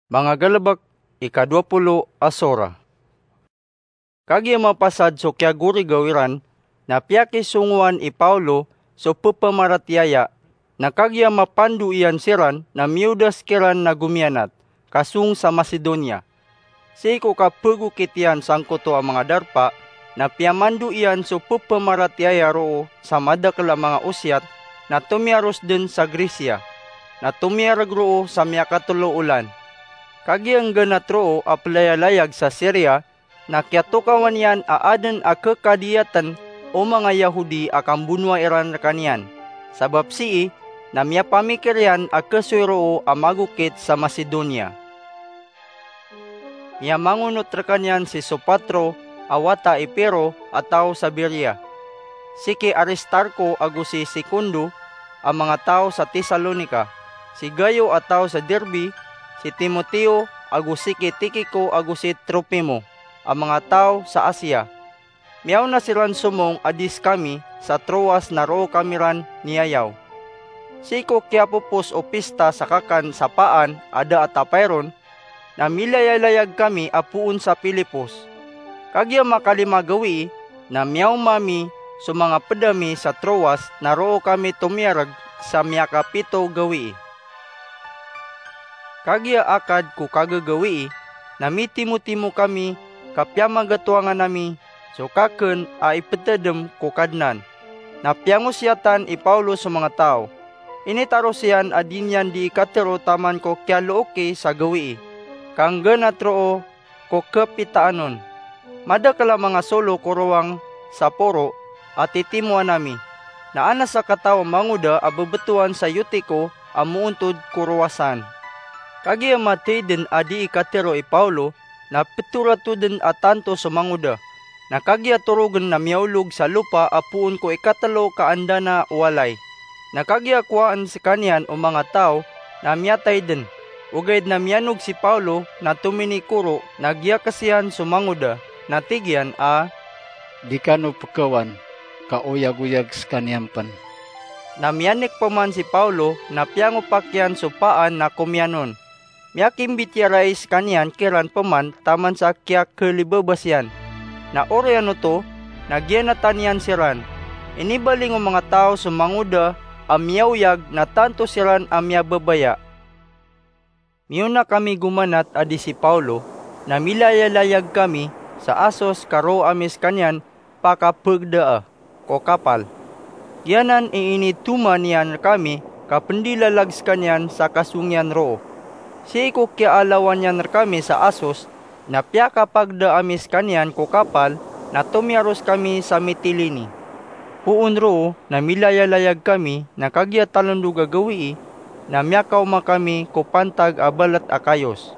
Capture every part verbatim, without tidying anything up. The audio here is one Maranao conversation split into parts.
Manga galebek, ika dowa polo a sora. Kagiya mapasad so kiyagorigaw iran, na piyakisongowan i Paolo so pepamaratiyaya, na kagiya mapando iyan siran na miyodas kiran na gomiyanat, ka song sa Macedonia. Sii ko kapegokit iyan sangkoto a manga darpa, na piyamando iyan so pepamaratiyaya roo sa madakel a manga osiyat, na tomiyaros den sa Grecia, na tomiyareg roo sa miyakatelo olan. Kagiya nggenat roo a pelayalayag sa Siria, na kiyatokawan iyan a aden a kekadiyaten o manga Yahudi a kambonoa iran rekaniyan. Sabap sii, na miyapamikir iyan a kesoy roo a magokit sa Macedonia. Miyamangonot rekaniyan si Sopatro a wata i Piro a taw sa Berea, si ki Aristarko ago si Secundo a manga taw sa Tesalonica, si Gayo a taw sa Derbe, si Timoteo ago si ki Tikico ago si Trofimo a manga taw sa Asia. Miyaona siran somong a di sekami sa Troas na roo kami ran niyayaw. Sii ko kiyapopos o pista sa kakan sa paan a da a tapay ron, na milayalayag kami a poon sa Filipos. Kagiya makalima gawii, na miyaoma mi so manga ped ami sa Troas na roo kami tomiyareg sa miyakapito gawii. Kagiya akad ko kagagawii, na mitimotimo kami ka piyamagatowangan ami so kaken a ipetedem ko Kadnan. Na piyangosiyatan i Paolo so manga taw. Initaros iyan a di niyan dii katero taman ko kiyalooki sa gawii, ka nggenat roo ko kepitaan on. Madakel a manga solo ko rowang sa poro a titimoan ami, na anas a kataw a mangoda a bebetowan sa Eutico a moontod ko rowasan. Kagiya matey den a dii katero i Paolo, na petorato den a tanto so mangoda. Na kagiya torogen na miyaolog sa lopa a poon ko ikatelo ka anda na walay. Na kagiya kowaan sekaniyan o manga taw, na miyatay den. Ogaid na miyanog si Paolo na tominikoro, na giyakes iyan so mangoda, na tig iyan a, "Di kano pekewan, ka oyagoyag sekaniyan pen." Na miyanik peman si Paolo, na piyangopak iyan so paan na komiyan on. Miyakimbitiyarai sekaniyan kiran peman taman sa kiyakelibabas iyan. Na oriyan oto, na giyanatan iyan siran. Inibaling o manga taw so mangoda a miyaoyag na tanto siran a miyababaya. Miyaona kami gomanat a di si Paolo, na milayalayag kami sa Asos ka roo ami sekaniyan pakapegdaa ko kapal. Giyanan i initoma niyan rekami ka pendilalag sekaniyan sa kasong iyan roo. Sii ko kiyaalawan iyan rekami sa Asos, na piyakapagda ami sekaniyan ko kapal, na tomiyaros kami sa Mitilini. Poon roo na milayalayag kami, na kagiya talondog a gawii, na miyakaoma kami ko pantag a balet a Kayos.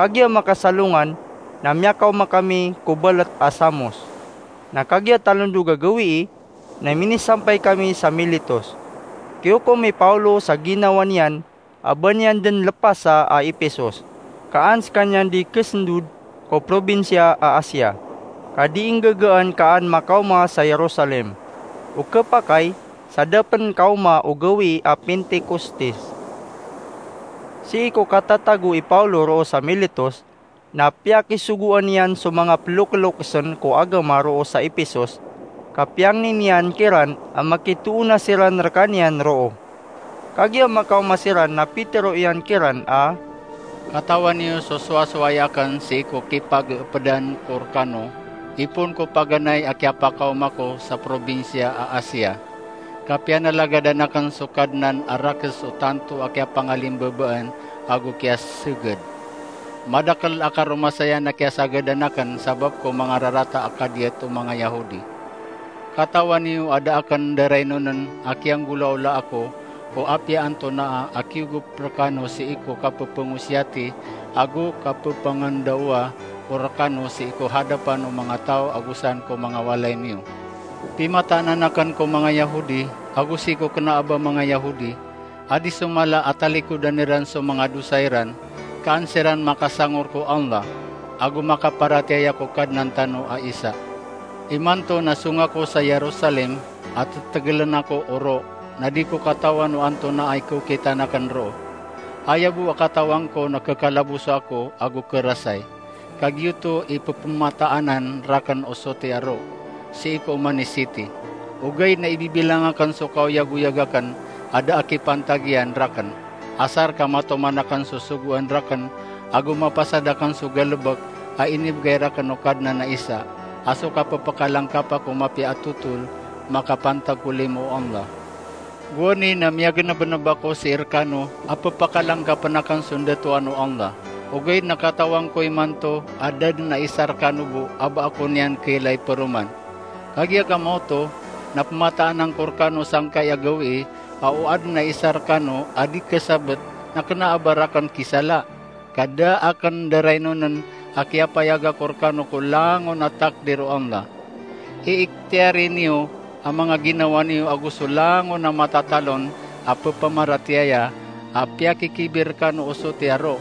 Kagiya makasalongan, na miyakaoma kami ko balet a Samos. Na kagiya talondog a gawii, na minisampay kami sa Miletos. Kiyokom i Paolo sa ginawa niyan a ba niyan den lepasa a Epesos, ka an sekaniyan di kesendod ko probinsiya a Asia, ka di inggagaan ka an makaoma sa Jerusalem. O kepakay, sa da pen kaoma o gawii a Pentekostes. Sii ko katatago i Paolo roo sa Miletos, na piyakisogoan iyan so manga pelokelokesen ko agama roo sa Epesos, ka piyangni niyan kiran a makitoona siran rekaniyan roo. Kagiya makaoma siran na pitero iyan kiran a, "Katawan iyo so sowasoway aken sii ko kipageepedan ko rekano, ipoon ko paganay a kiyapakaoma ko sa probinsiya a Asia. Ka piyanalagadan aken so Kadnan a rakes o tanto a kiyapangalimbabaan ago kiyaseged. Madakel a karomasayan a kiyasagadan aken sabap ko manga rarata a kadiyat o manga Yahudi. Katawan iyo a da aken daraynonen a kiyanggolaola ako ko apiya antonaa a kiyogop rekano sii ko kapepengosiyati ago kapepangandaowa ko rekano sii ko hadapan o manga taw ago san ko manga walay miyo. Pimataanan aken ko manga Yahudi, ago sii ko kena a ba manga Yahudi, a di so mala a talikodan iran so manga dosa iran, ka an siran makasangor ko Allah, ago makaparatiyaya ko Kadnan tano a Isa. Imanto na song ako sa Jerusalem, a tetegelen ako oro, na di ko katawan o antonaa i kaokitan aken roo. Aya bo a katawan ko na kekalaboso ako ago kerasay. Kagiyoto i pepemataan raken o soti a ro, sii ko oman i siti. Ogaid na ibibilang aken so kaoyagoyag aken a da a kipantag iyan raken. Asar ka matoman aken so sogoan raken, ago mapasad aken so galebek a inibegay raken o Kadnan a Isa, a so kapepakalangkapa ko mapiya a totol, makapantag ko limo o Allah. Gowani na miyagenebeneb ako sii rekano a pepakalangkapen aken so ndatoan o Allah. Ogaid na katawan ko imanto a da den a isa rekano bo a ba ako niyan kailay peroman. Kagiya ka maoto, na pemataan angko rekano sangkai a gawii a o aden a isa rekano a di kesabet na kena a ba raken kisala, ka da aken darainonen a kiyapayag ako rekano ko langon a takdir o Allah. Iiktiyari niyo a manga ginawa niyo ago so langon a matatalon a pepamaratiyaya a piyakikibi rekano o soti a ro.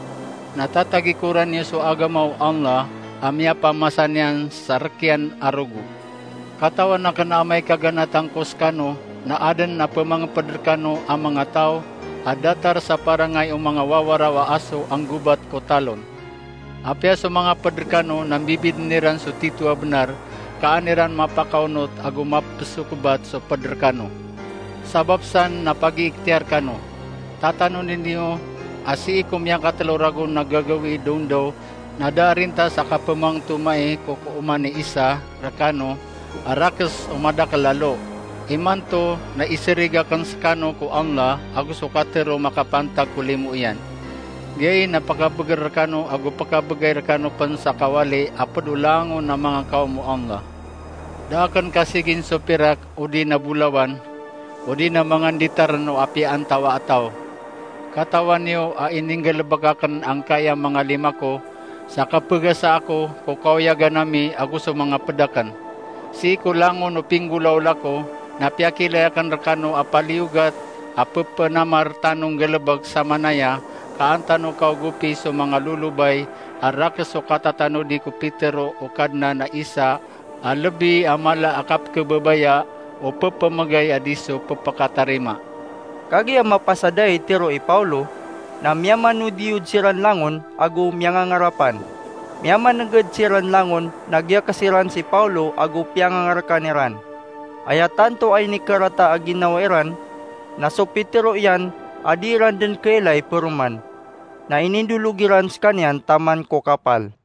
Na tatagikoran iyo so agama o Allah a miyapamasa niyan sa rekiyan a rogo. Katawan aken a amay ka ganatan ko sekano na aden a pemangeped rekano a manga taw a datar sa parangay o manga wawaraw a aso a nggobat ko talon. Apiya so manga ped rekano na mbibiden iran so tito a benar, ka an iran mapakaonot ago mapesokebat so ped rekano. Sabap san na pagiiktiyar kano. Tatanoni niyo a sii ko miyakatelo ragon a gagawii dondaw na da a rintas a kapemangtomai ko kooman i isa rekano a rakes o madakel a lo. Imanto na iserig aken sekano ko Allah ago so katero makapantag ko limo iyan. Giyai na pekabeger rekano ago pekabegay rekano pen sa kawali a ped o langon a manga kaom o Allah. Da aken kasigin so pirak odi na bolawan, odi na manga nditaren o apiya antawaa a taw. Katawan iyo a ininggalebek aken angkaya manga lima ko, sa kapegasa ako ko kaoyagan ami ago so manga ped aken. Sii ko langon o pinggolaola ko, na piyakilay aken rekano a paliyogat a pepenamar tano nggalebek samanaya ka an tano kaogopi so manga lolobay a rakes o katatanodi ko pitero o Kadnan a Isa a lebi a mala a kapekebabaya o pepemegay a di so pepekatarima. Kagiya mapasadai tero i Paulo, na miyamanodiyod siran langon ago miyangangarapan. Miyamaneged siran langon na giyakes iran si Paulo ago piyangangarekan iran. Aya tanto a inikarata a ginawa iran na so pitero iyan a di iran den kailay peroman, na inindolog iran sekaniyan taman ko kapal.